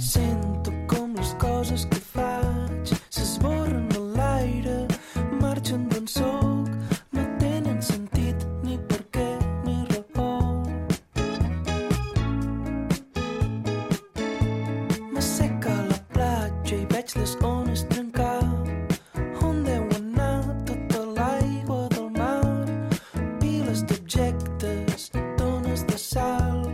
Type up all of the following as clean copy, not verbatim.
Sento com les coses que faig s'esborren a l'aire, marxen d'on soc, no tenen sentit ni per què ni raó. M'asseca a la platja i veig les ones trencar. On deu anar tota l'aigua del mar? Piles d'objectes, tones de sal.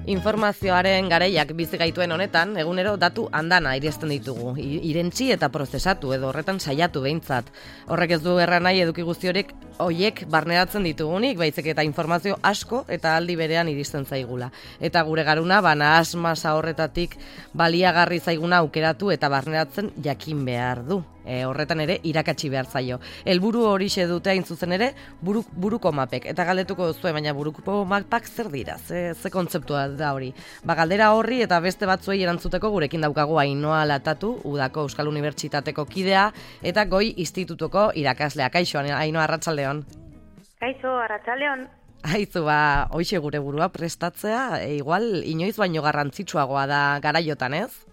Informazioaren garaiak bizi gaituen honetan, egunero datu andana iristen ditugu, irentzi eta prozesatu edo horretan saiatu behintzat. Horrek ez du erran nahi eduki guzti horiek barneratzen ditugunik, baizik eta informazio asko eta aldi berean iristen zaigula. Eta gure garuna, nahasmasa horretatik baliagarri zaiguna aukeratu eta barneratzen jakin behar du. Horretan ere irakatsi behar zaio. Helburu horixe dute hain zuzen ere buruko mapek. Eta galdetuko duzue, baina buruko mapak zer dira? Ze kontzeptua da hori? Galdera horri eta beste batzuei erantzuteko gurekin daukagu Ainhoa Latatu, Udako Euskal Unibertsitateko kidea eta Goi Institutuko irakaslea. Kaixo, Ainhoa, arratsaldeon. Kaixo, arratsaldeon. Aizu, hoixe gure burua prestatzea, igual inoiz baino garrantzitsuagoa da garaiotan, ez?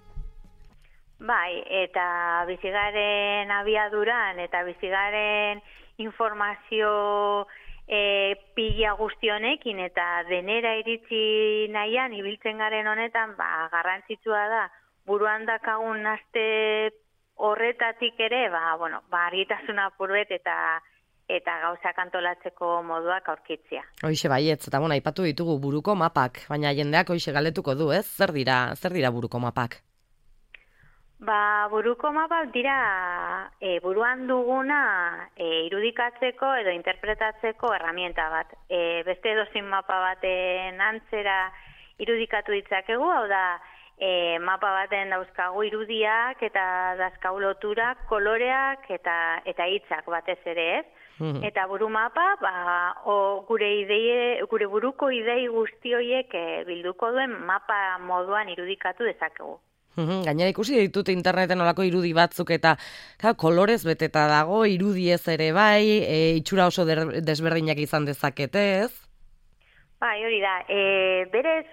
Bai, eta bizigaren abiaduran eta bizigaren informazio pila guztionekin eta denera iritsi nahian ibiltzen garen honetan, garrantzitsua da buruan dakagun aste horretatik ere, argitasuna apurbet eta gauzak antolatzeko moduak aurkitzea. Hoixe baietz, eta aipatu ditugu buruko mapak, baina jendeak hoixe galdetuko du, ez? Zer dira buruko mapak? Buruko mapak dira buruan duguna irudikatzeko edo interpretatzeko herramienta bat. Beste edozein mapa baten antzera irudikatu ditzakegu, hau da mapa baten dauzkagu irudiak eta dauzkagu loturak, koloreak eta hitzak batez ere, ez? Eta buru mapa, gure buruko idei guzti horiek bilduko duen mapa moduan irudikatu dezakegu. Gainera ikusi ditut interneten olako irudi batzuk eta kolorez beteta dago, irudiez ere bai, itxura oso desberdinak izan dezakete, ez? Bai, hori da. Berez,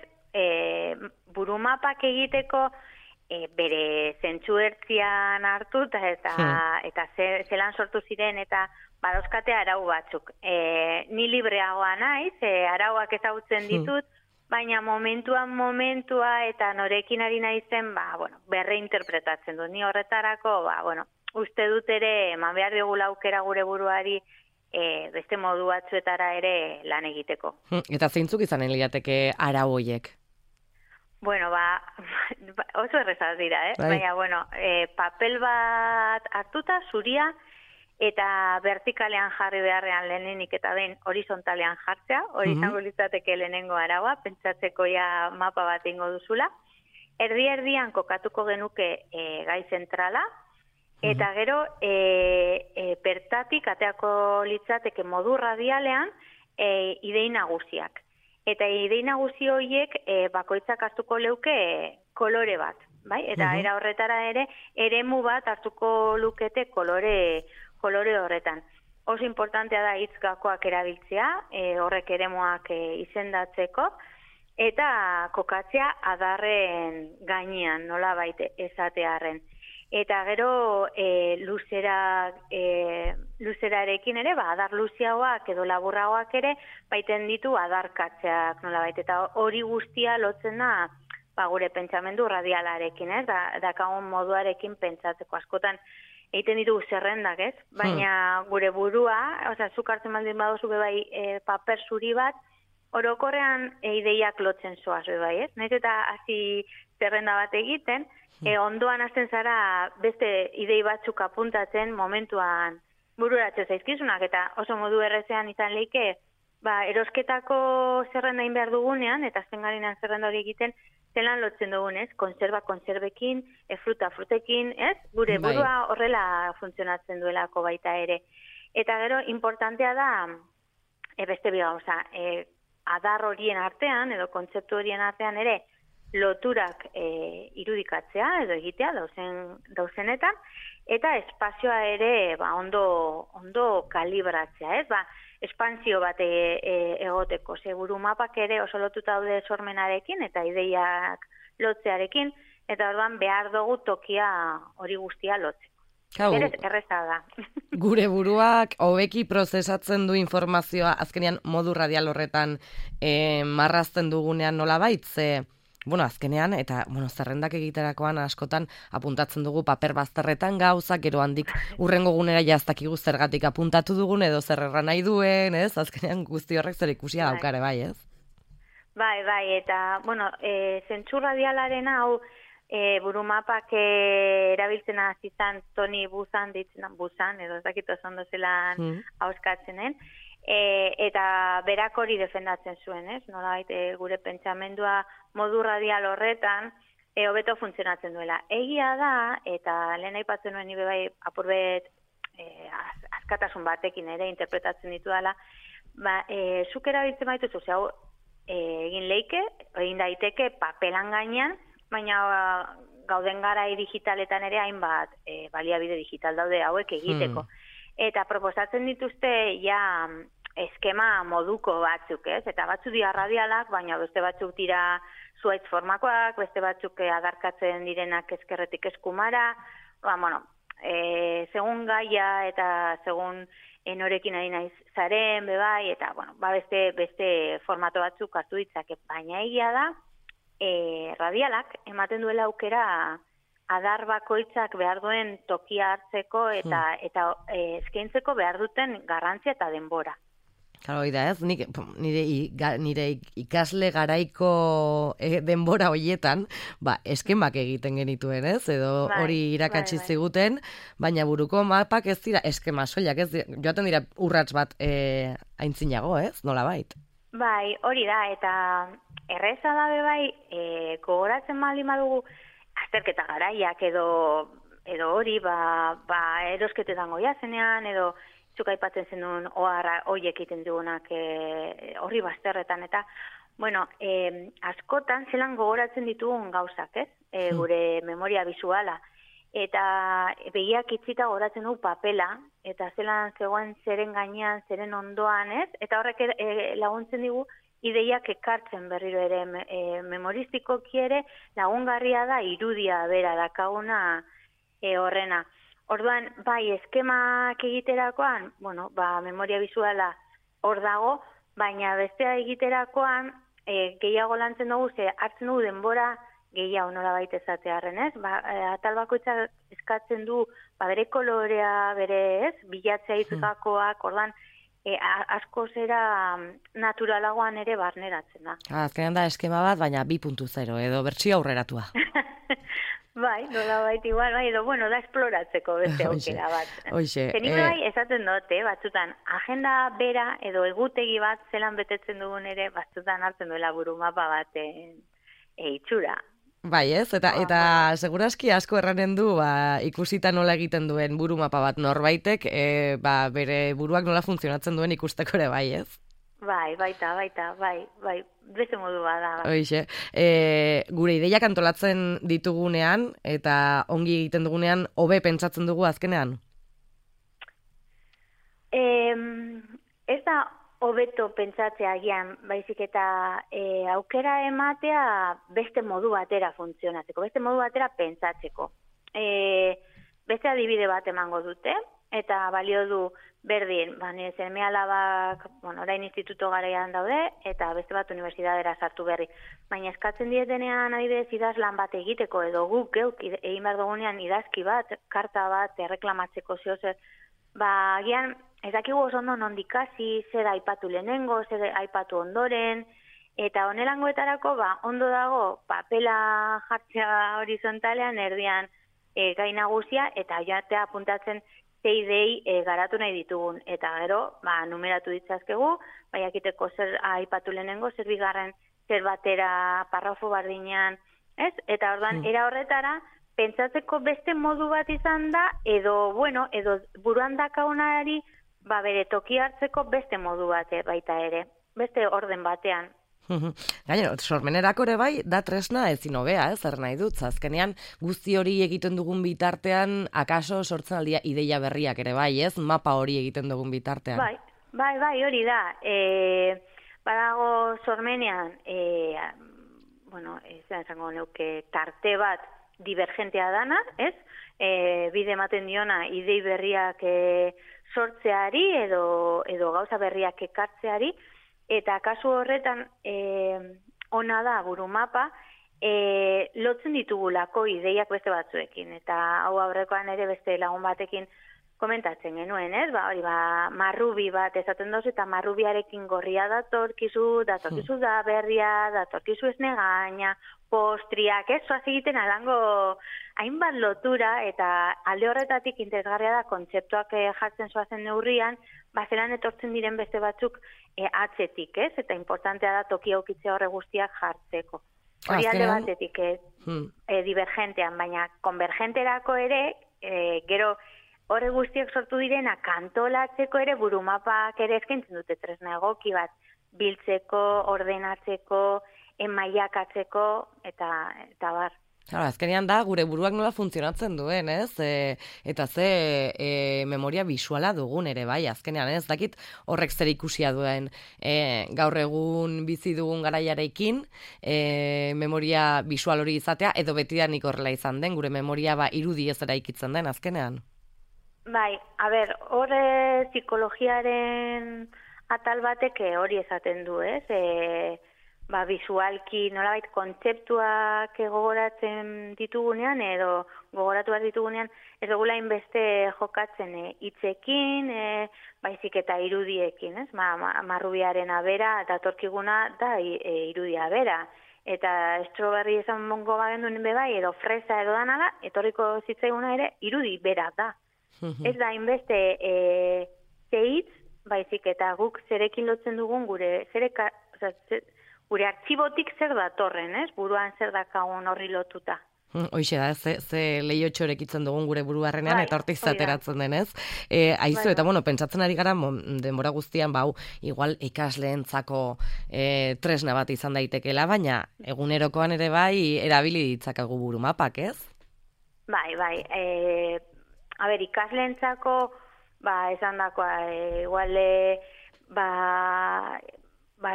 burumapak egiteko bere zentsuertzian hartu eta zelan sortu ziren eta badauzkate arau batzuk. Ni libreagoa naiz, arauak ezagutzen ditut, baina momentua eta norekin ari naizen, berreinterpretatzen du. Ni horretarako, uste dut ere, eman behar diogula aukera gure buruari beste modu batzuetara ere lan egiteko. Eta zeintzuk izanen lirateke arau hoiek? Oso errezaz dira, baina, papel bat hartuta, zuria, eta vertikalean jarri beharrean lehenenik eta behin horizontalean jartzea, hori izango litzateke lehenengo araua, pentsatzeko ja mapa bat ingo duzula. Erdi-erdian kokatuko genuke gai zentrala, eta gero bertatik ateako litzateke modu radialean idei nagusiak. Eta idei nagusi horiek bakoitzak hartuko leuke kolore bat, bai? Eta era horretara ere eremu bat hartuko lukete kolore horretan. Oso importantea da hitz gakoak erabiltzea, horrek eremuak izendatzeko, eta kokatzea adarren gainean, nolabait esatearren. Eta gero luzerarekin ere, adar luziagoak edo laburragoak ere, baiten ditu adarkatzeak nolabait. Eta hori guztia lotzen da gure pentsamendu radialarekin, ez? Dakagun moduarekin pentsatzeko askotan egiten ditugu zerrendak, ez? Baina gure burua, zuk hartzen baldin baduzu bai paper zuri bat, orokorrean ideiak lotzen zoaz bai, ez? Naiz eta hasi zerrenda bat egiten, ondoan hasten zara beste idei batzuk apuntatzen momentuan bururatzen zaizkizunak, eta oso modu errezean izan leike, erosketako zerrenda egin behar dugunean, eta azten garenean zerrenda hori egiten, zelan lotzen dugun, ez? Konserbekin, frutekin, ez? Gure burua horrela funtzionatzen duelako baita ere. Eta gero, importantea da, beste gauza, adar horien artean, edo kontzeptu horien artean ere, loturak irudikatzea, edo egitea, dauzenetan, eta espazioa ere ondo kalibratzea, ez? Espansio bat egoteko. Buru mapak ere oso lotuta daude sormenarekin eta ideiak lotzearekin, eta orduan behar dugu tokia hori guztia lotzeko. Kau, Erreza da. gure buruak hobeki prozesatzen du informazioa azkenean modu radial horretan marrazten dugunean nolabait, ze azkenean, eta, zerrendak egiterakoan askotan apuntatzen dugu paper bazterretan gauzak, gero handik urrengo gunera jaztakigu zergatik apuntatu dugun, edo zer erran nahi duen, ez? Azkenean guzti horrek zer ikusia daukare, bai, ez? Bai, eta, zentzu radialaren hau, burumapak erabiltzen azizan Toni Buzan, edo ez dakit oso ondo zelan hauskatzenen, eta berak hori defendatzen zuen, ez? Nolabait gure pentsamendua modu radial horretan hobeto funtzionatzen duela. Egia da, eta lehen aipatzen nuen nire bai apurbet askatasun batekin ere interpretatzen ditu dela, zuk erabiltzen baituzu, hau egin daiteke papelan gainean, baina gauden garai digitaletan ere hainbat baliabide digital daude hauek egiteko. Eta proposatzen dituzte ja eskema moduko batzuk, ez? Eta batzuk dira radialak, baina beste batzuk dira zuaitz formakoak, beste batzuk adarkatzen direnak ezkerretik eskumara, segun gaia eta segun norekin ari naiz zaren, bebai, eta beste formato batzuk hartu ditzake, baina egia da, radialak ematen duela aukera adar bakoitzak behar duen tokia hartzeko eta eskaintzeko behar duten garrantzia eta denbora. Claro, da ez, nire ikasle garaiko denbora hoietan, eskemak egiten genituen, ez? Edo hori irakatsi ziguten, baina buruko mapak ez dira eskema soilak, ez? Joaten dira urrats bat aintzinago, ez? Nolabait. Bai, hori da, eta erreza da gogoratzen baldin badugu azterketa garaiak edo hori, erosketetan goia zenean, edo zuk aipatzen zenun horiek egiten dugunak horri bazterretan, eta, askotan zelan gogoratzen ditugun gauzak, ez? Gure memoria bisuala. Eta begiak itzita gogoratzen dugu papela, eta zelan zegoen zeren gainean, zeren ondoan, ez? Eta horrek laguntzen digu ideiak ekartzen berriro ere memoristikoki ere lagungarria da irudia bera dakaguna horrena. Orduan, eskemak egiterakoan, memoria bisuala hor dago, baina bestea egiterakoan gehiago lantzen dugu, hartzen dugu denbora gehiago nola baita ezatearen, ez? Atal bakoitzak eskatzen du, bere kolorea, bere, ez? Bilatzea itzukakoak, orduan, asko zera naturalagoan ere barneratzen da. Azkenean da eskema bat, baina 2.0 edo bertsio aurreratua. Nola baita igual, edo, da esploratzeko beste aukera bat. Zenik esaten dut, batzutan, agenda bera edo egutegi bat zelan betetzen dugun ere, batzutan hartzen duela burumapa baten itxura. Bai, ez? Eta seguraski asko erranen du ikusita nola egiten duen burumapa bat norbaitek, bere buruak nola funtzionatzen duen ikusteko ere, bai, ez? Baita, beste modu bada. Hoixe, gure ideiak antolatzen ditugunean eta ongi egiten dugunean hobe pentsatzen dugu azkenean? Ez da hobeto pentsatzea agian, baizik eta aukera ematea beste modu batera funtzionatzeko, beste modu batera pentsatzeko. Beste adibide bat emango dute, eta balio du berdin, nire seme alabak, orain instituto garaian daude, eta beste bat unibertsitatera sartu berri. Baina eskatzen dietenean adibidez idazlan bat egiteko, edo guk geuk egin behar dugunean idazki bat, karta bat, erreklamatzeko zehozer, agian ez dakigu oso ondo nondikasi, zer aipatu lehenengo, zer aipatu ondoren, eta honelangoetarako ondo dago papela jartzea horizontalean erdian gai nagusia, eta joatea apuntatzen idei garatu nahi ditugun, eta gero, numeratu ditzazkegu, jakiteko zer aipatu lehenengo, zer bigarren, zer batera, parrafo bardinean, ez? Eta ordan, era horretara, pentsatzeko beste modu bat izan da, edo buruan dakaunari, bere toki hartzeko beste modu bat baita ere, beste orden batean. Gainera, sormenerako ere bai, da tresna ezin hobea, zer nahi dut, azkenean guzti hori egiten dugun bitartean, akaso sortzen aldia ideia berriak ere bai, ez? Mapa hori egiten dugun bitartean. Bai, hori da. Badago sormenean, bueno, esango neuke tarte bat divergentea dana, ez? Bide ematen diona idei berriak sortzeari edo gauza berriak ekartzeari, eta kasu horretan ona da burumapa, lotzen ditugulako ideiak beste batzuekin, eta hau aurrekoan ere beste lagun batekin komentatzen genuen, ez? Marrubi bat esaten dozu, eta marrubiarekin gorria datorkizu da berria, datorkizu esne gaina, postriak, ez? Zoaz egiten alango hainbat lotura, eta alde horretatik interesgarria da kontzeptuak jartzen zoazen neurrian, zelan etortzen diren beste batzuk atzetik, ez? Eta importantea da toki aukitzea horre guztiak jartzeko. Hori alde batetik divergentean, baina konvergenterako ere, gero horre guztiak sortu direna kantolatzeko ere burumapak ere eskaintzen dute tresna egoki bat, biltzeko, ordenatzeko, mailakatzeko, eta bar. Claro, azkenean da, gure buruak nola funtzionatzen duen, ez? Eta ze memoria visuala dugun ere, bai, azkenean, ez? Dakit horrek zer ikusia duen gaur egun bizi dugun garaiarekin, memoria visual hori izatea, edo betidanik horrela izan den, gure memoria irudi ez eraikitzen den, azkenean. Bai, horre psikologiaren atal batek hori esaten du, ez? Visualki nolabait kontzeptuak gogoratzen ditugunean edo gogoratu behar ditugunean ez dugula inbeste jokatzen hitzekin, baizik eta irudiekin, ez? Marrubiaren abera datorkiguna da irudia bera. Eta estroberri esan mongo bagenduen bebai edo fresa edo danala, etorriko zitzaiguna ere irudi bera da. Ez da inbeste zeitz, baizik eta guk zerekin lotzen dugun gure artxibotik zer datorren, ez? Buruan zer dakagun horri lotuta. Hoixe da, ze lehiotxo erekitzen dugun gure buruarrenean, eta hortik zateratzen denez. Aizu, eta pentsatzen ari gara, denbora guztian, igual ikasleentzako tresna bat izan daitekela, baina egunerokoan ere bai, erabili ditzakagu burumapak, ez? Bai. Ikasleentzako, esan dakoa, igual,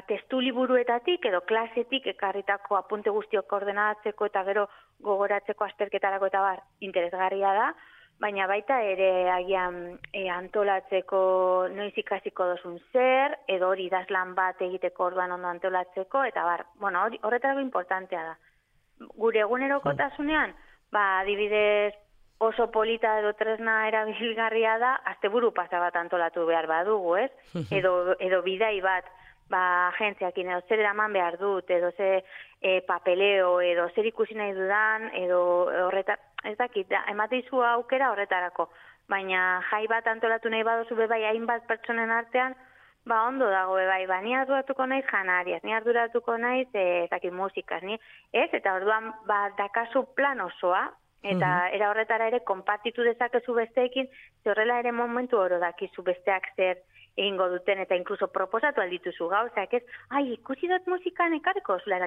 testu liburuetatik edo klasetik ekarritako apunte guztiok ordenatzeko eta gero gogoratzeko azterketarako eta interesgarria da, baina baita ere agian antolatzeko noiz ikasiko dozun zer, edo hori idazlan bat egiteko orduan ondo antolatzeko, eta horretarako importantea da. Gure egunerokotasunean, adibidez oso polita edo tresna erabilgarria da, asteburu pasa bat antolatu behar badugu, ez? Edo bidai bat, agentziakin edo zer eraman behar dut, edo ze papeleo, edo zer ikusi nahi dudan, edo horretar, ez dakit, emateizu aukera horretarako. Baina jai bat antolatu nahi baduzu bebai hainbat pertsonen artean, ondo dago bebai, ni arduratuko naiz janariaz, ni arduratuko naiz, ez dakit, musikaz, ez? Eta orduan, dakazu plan osoa, eta era horretara ere konpartitu dezakezu besteekin, horrela ere momentu oro dakizu besteak zer egingo duten, eta inkluso proposatu aldituzu gauzak, ez? Ikusi dut musikan ekarriko zula,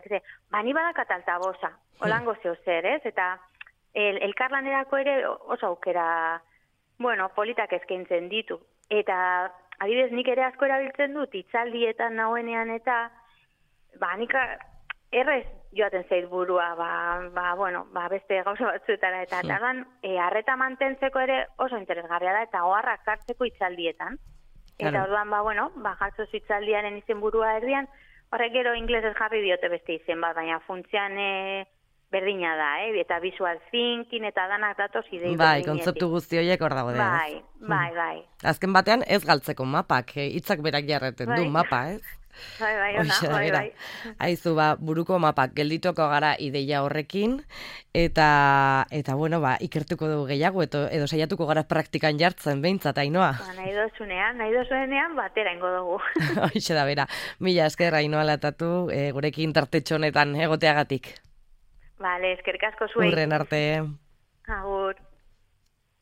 ni badakat altaboza, holango zeo zer, ez? Eta elkarlanerako ere oso aukera, politak eskaintzen ditu. Eta adibidez nik ere asko erabiltzen dut, hitzaldietan nauenean eta, nik errez joaten zait burua, beste gauza batzuetara, eta tardan, harreta mantentzeko ere oso interesgarria da, eta oharrak hartzeko hitzaldietan. Eta orduan, jartzo hitzaldiaren izen burua erdian, horrek gero inglesez jarri diote beste izen bat, baina funtzean berdina da, eta visual thinking, eta danak datoz idei berdinetik. Kontzeptu guzti horiek hor dago da. Bai. Azken batean ez galtzeko mapak, hitzak berak jarreten du mapa, ez? Bai. Aizu, buruko mapak geldituko gara ideia horrekin, eta ikertuko dugu gehiago, edo saiatuko gara praktikan jartzen, behintzat, Ainhoa. Nahi dozuenean, batera ingo dugu. Hoxe da, bera. Mila esker, Ainhoa Latatu, gurekin tartetxo honetan egoteagatik. Bale, eskerrik asko zuei. Urren arte. Agur.